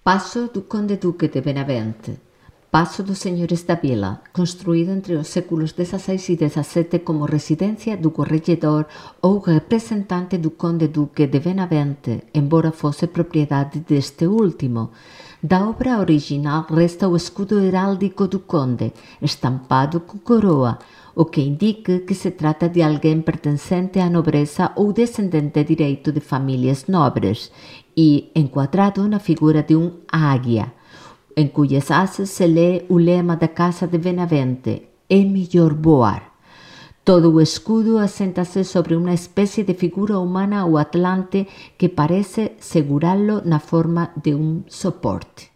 Passo do Conde Duque de Benavente. Paso dos Señores da Vila, construído entre os séculos XVI e XVII como residencia do corregedor ou representante do Conde Duque de Benavente, embora fose propiedade deste último. Da obra original resta o escudo heráldico do conde, estampado com coroa, o que indica que se trata de alguém pertencente à nobreza ou descendente direito de famílias nobres, e enquadrado na figura de águia, em cujas asas se lê o lema da Casa de Benavente: é melhor voar. Todo o escudo assenta-se sobre uma espécie de figura humana ou atlante que parece segurá-lo na forma de um soporte.